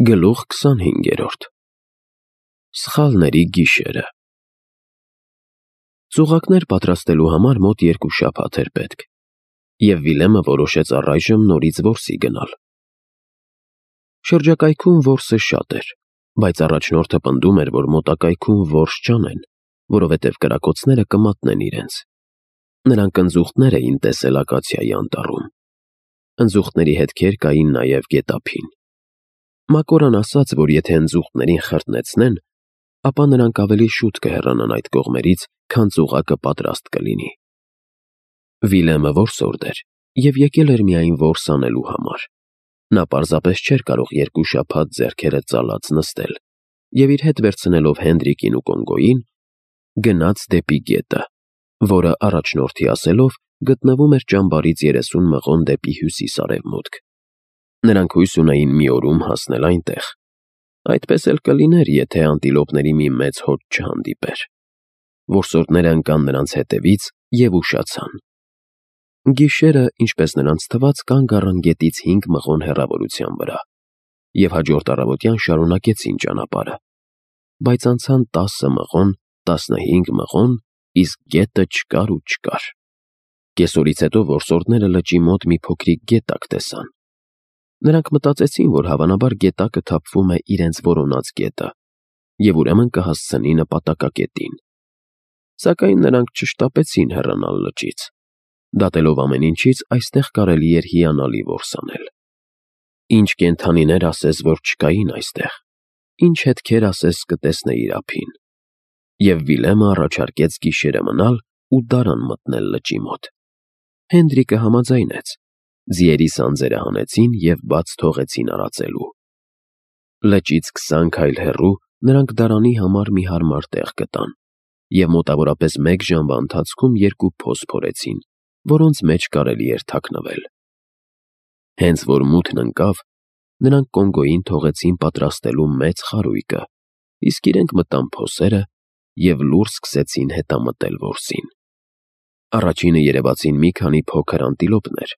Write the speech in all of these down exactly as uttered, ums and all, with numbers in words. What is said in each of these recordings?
Գլուխ քսանհինգերորդ Սխալների գիշերը Ծուղակներ պատրաստելու համար մոտ երկու շաբաթ էր պետք, և Վիլեմը որոշեց առայժմ նորից որսի գնալ։ Շրջակայքում որսը շատ էր, բայց առաջնորդը պնդում էր, որ մոտակայքում որս չանեն, որովհետև կրակոցները կմատնեն իրենց։ Նրանք ընձուղտներ էին տեսել ակացիայի անտառում։ Ընձուղտների հետքեր կային նաև գետափին։ Մակորան ասաց, որ եթե ընձուղտներին խրտնեցնեն, ապա նրանք ավելի շուտ կհեռանան այդ կողմերից, քան ծուղակը պատրաստ կլինի։ Վիլեմը որսորդ էր և եկել էր միայն որս անելու համար։ Նա պարզապես չէր կարող երկու շաբաթ ձեռքերը ծալած նստել և իր հետ վերցնելով Հենդրիկին ու Կոնգոյին, գնաց դեպի գետը, որը, առաջնորդի ասելով, գտնվում էր ճամբարից երեսուն մղոն դեպի հյուսիս֊արևմուտք։ Նրանք հույս ունեին մի օրում հասնել այնտեղ։ Այդպես էլ կլիներ, եթե անտիլոպների մի մեծ հոտ չհանդիպեր։ Որսորդները ընկան նրանց հետևից և ուշացան։ Գիշերը, ինչպես նրանց թվաց, կանգ առան գետից հինգ մղոն հեռավորության վրա և հաջորդ առավոտյան շարունակեցին ճանապարհը, բայց անցան տասը մղոն, տասնհինգ մղոն, իսկ գետը չկար ու չկար։ Կեսօրից հետո որսորդները լճի մոտ մի փոքրիկ գետակ տեսան։ Նրանք մտածեցին, որ հավանաբար գետակը թափվում է իրենց որոնած գետը և ուրեմն կհասցնի նպատակակետին։ Սակայն նրանք չշտապեցին հեռանալ լճից։ Դատելով ամեն ինչից, այստեղ կարելի էր հիանալի որս անել։ Ինչ կենդանիներ ասես, որ չկային այստեղ, ինչ հետքեր ասես կտեսնեիր ափին։ Եվ Վիլեմը առաջարկեց գիշերը մնալ ու դարան մտնել լճի մոտ։ Հենդրիկը համաձայնեց։ Ձիերի սանձերը հանեցին և բաց թողեցին արածելու։ Լճից քսան քայլ հեռու նրանք դարանի համար մի հարմար տեղ գտան և մոտավորապես մեկ ժամվա ընթացքում երկու փոս փորեցին, որոնց մեջ կարելի էր թաքնվել։ Հենց որ մութն ընկավ, նրանք Կոնգոյին թողեցին պատրաստելու մեծ խարույկը, իսկ իրենք մտան փոսերը և լուռ սկսեցին հետամտել որսին։ Առաջինը երևացին մի քանի փոքր անտիլոպներ,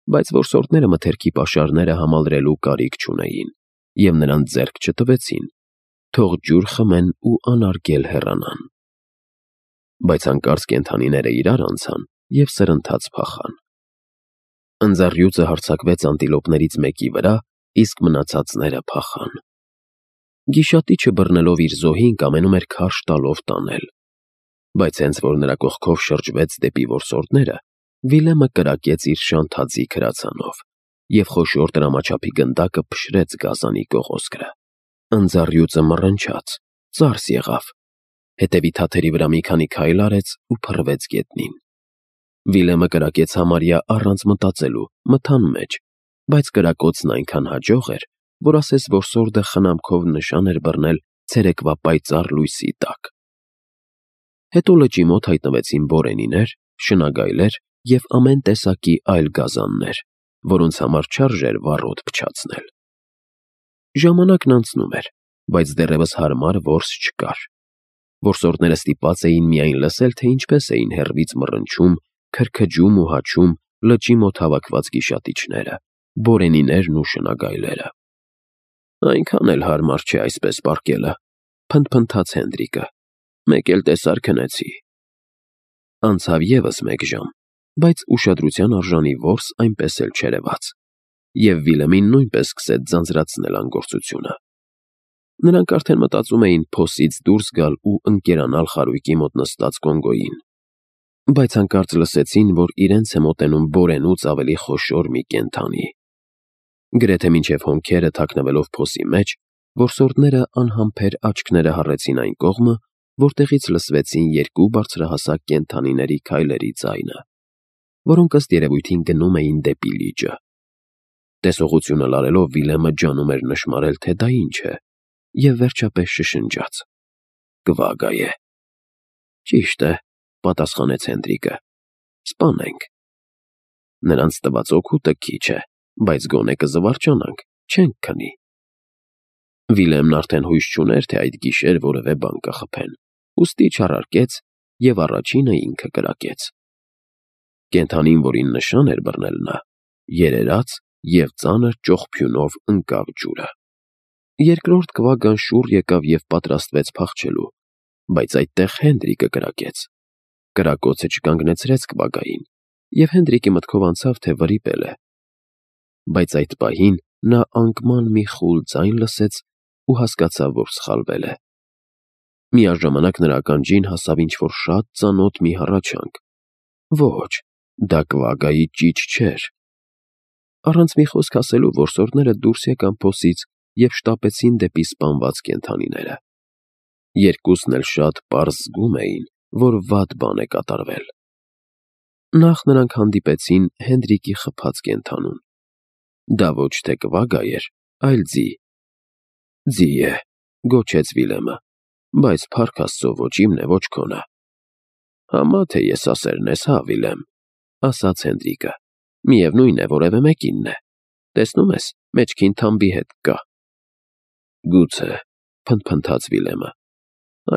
բայց որսորդները մթերքի պաշարները համալրելու կարիք չունեին և նրանց ձեռք չտվեցին, թող ջուր խմեն ու անարգել հեռանան։ Բայց հանկարծ կենդանիները իրար անցան և սրընթաց փախան։ Ընձառյուծը հարձակվեց անտիլոպներից մեկի վրա, իսկ մնացածները փախան։ Գիշատիչը բռնելով իր զոհին կամենում էր քարշ տալով տանել, բայց հենց որ նրա կողքով շրջվեց դեպի որսորդները, Վիլեմը կրակեց իր շանթաձիգ հրացանով և խոշոր տրամաչափի գնդակը փշրեց գազանի կողոսկրը։ Ընձառյուծը մռնչաց, ծարս եղավ, հետևի թաթերի վրա մի քանի քայլ արեց ու փռվեց գետնին։ Վիլեմը կրակեց համարյա առանց մտածելու, մթան մեջ, բայց կրակոցն այնքան հաջող էր, որ ասես որսորդը խնամքով նշան էր բռնել ցերեկվա պայծառ լույսի տակ։ Հետո լճի մոտ հայտնվեցին բորենիներ, շնագայլեր և ամեն տեսակի այլ գազաններ, որոնց համար չարժեր վառոդ փչացնել։ Ժամանակն անցնում էր, բայց դեռևս հարմար որս չկար։ Որսորդները ստիպված էին միայն լսել, թե ինչպես էին հեռվից մռնչում, քրքջում ու հաչում լճի մոտ հավաքված գիշատիչները, բորենիներն ու շնագայլերը։ «Այնքան էլ հարմար չէ այսպես պառկելը», փնթփնթաց Հենդրիկը։ «Մեկ էլ տեսար քնեցի»։ Անցավ ևս մեկ ժամ, բայց ուշադրության արժանի որս այնպես էլ չերևաց, և Վիլեմին նույնպես սկսեց ձանձրացնել անգործությունը։ Նրանք արդեն մտածում էին փոսից դուրս գալ ու ընկերանալ խարույկի մոտ նստած Կոնգոյին, բայց հանկարծ լսեցին, որ իրենց է մոտենում բորենուց ավելի խոշոր մի կենդանի։ Գրեթե մինչև հոնքերը թաքնվելով փոսի մեջ, որսորդները անհամբեր աչքները հառեցին այն կողմը, որտեղից լսվեցին երկու բարձրահասակ կենդանիների քայլերի ձայնը, որոնք ըստ երևույթին գնում էին դեպի լիճը։ Տեսողությունը լարելով Վիլեմը ջանում էր նշմարել, թե դա ինչ է, և վերջապես շշնջաց. «Կվագա է»։ «Ճիշտ է», պատասխանեց Հենդրիկը։ «Սպանենք»։ Նրանց տված օգուտը քիչ է, բայց գոնե կզվարճանանք, չենք քնի։ Վիլեմն արդեն հույս չուներ, թե այդ գիշեր որևէ բան կխփեն, ուստի չարարկեց և առաջինը ինքը կրակեց։ Կենդանին, որին նշան էր բռնել նա, երերաց և ծանր ճողփյունով ընկավ ջուրը։ Երկրորդ կվագան շուռ եկավ և պատրաստվեց փախչելու, բայց այդտեղ Հենդրիկը կրակեց։ Կրակոցը չկանգնեցրեց կվագային, և Հենդրիկի մտքով անցավ, թե վրիպել է։ Բայց այդ պահին նա անկման մի խուլ ձայն լսեց ու հասկացավ, որ սխալվել է։ Միաժամանակ նրա ականջին հասավ ինչ-որ շատ ծանոթ մի հառաչանք։ Ոչ, դա կվագայի ճիչ չէր։ Առանց մի խոսք ասելու որսորդները դուրս եկան փոսից և շտապեցին դեպի սպանված կենդանիները։ Երկուսն էլ շատ պարզ զգում էին, որ վատ բան է կատարվել։ Նախ նրանք հանդիպեցին Հենդրիկի խփած կենդանուն։ Դա ոչ թե կվագա էր, այլ ձի։ Ձի է, գոչեց Վիլյամը, բայց փառք Աստծո ոչ իմն է, ոչ քոնը։ Համա թե եսասերն ես, հա, Վիլյամ, ասաց Հենդրիկը, միևնույն է, որևէ մեկինն է, տեսնում ես, մեջքին թամբի հետ կա։ Գուցե, փնթփնթաց Վիլյամը,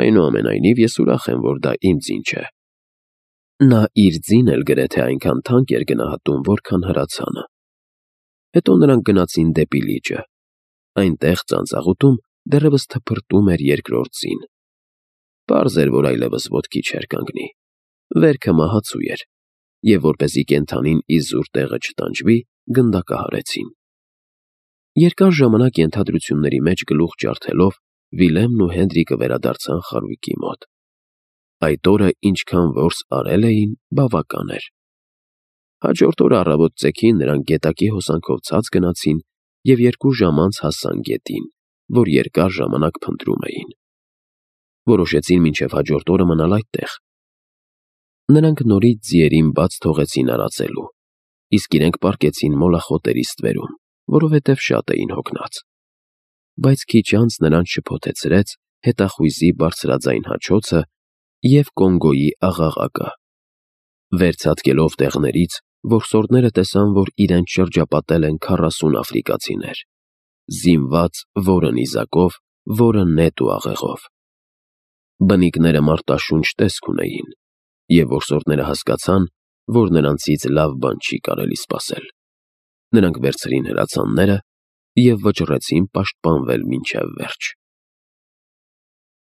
այնուամենայնիվ ես ուրախ եմ, որ դա իմ ձին չէ։ Նա իր ձին էլ գրեթե այնքան թանկ էր գնահատում, որքան հրացանը։ Հետո նրանք գնացին դեպի լիճը։ Այնտեղ ծանծաղուտում դեռևս թփրտում էր երկրորդ ձին։ Պարզ էր, որ այլևս ոտքի չէր կանգնի։ Վերքը մահացու էր, և որպեսզի կենդանին իզուր տեղը չտանջվի, գնդակահարեցին։ Երկար ժամանակ ենթադրությունների մեջ գլուխ ջարդելով Վիլյամն ու Հենդրիկը վերադարձան խարույկի մոտ։ Այդ օրը ինչքան որս արել էին, բավական էր։ Հաջորդ օրը առավոտ ծեքին նրանք գետակի հոսանքով ցած գնացին և երկու ժամ անց հասան գետին, որ երկար ժամանակ փնտրում էին։ Որոշեցին մինչև հաջորդ օրը մնալ այդտեղ։ Նրանք նորից ձիերին բաց թողեցին արածելու, իսկ իրենք պառկեցին մոլախոտերի ստվերում, որովհետև շատ էին հոգնած։ Բայց քիչ անց նրանց շփոթեցրեց հետախույզի բարձրաձայն հաչոցը և Կոնգոյի աղաղակը։ Վերցածկելով տեղներից, որսորդները տեսան, որ իրենց շրջապատել են քառասուն աֆրիկացիներ, զինված որը նիզակով, որը նետ ու աղեղով։ Բնիկները մարտաշունչ տեսք ունեին, և որսորդները հասկացան, որ նրանցից լավ բան չի կարելի սպասել։ Նրանք վերցրին հրացանները և վճռեցին պաշտպանվել մինչև վերջ։